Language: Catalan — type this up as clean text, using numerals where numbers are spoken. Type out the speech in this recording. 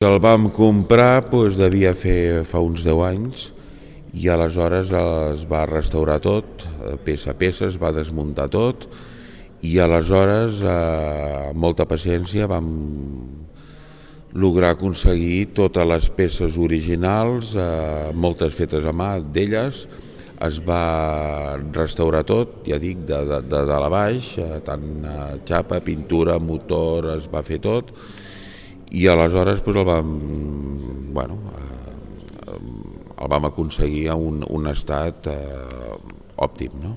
El vam comprar, devia fer fa uns 10 anys, i aleshores es va restaurar tot, peça a peça, es va desmuntar tot, i aleshores, amb molta paciència, vam lograr aconseguir totes les peces originals, moltes fetes a mà d'elles. Es va restaurar tot, ja dic, de dalt a baix, tant xapa, pintura, motor, es va fer tot, i aleshores el vam aconseguir a un estat òptim, no?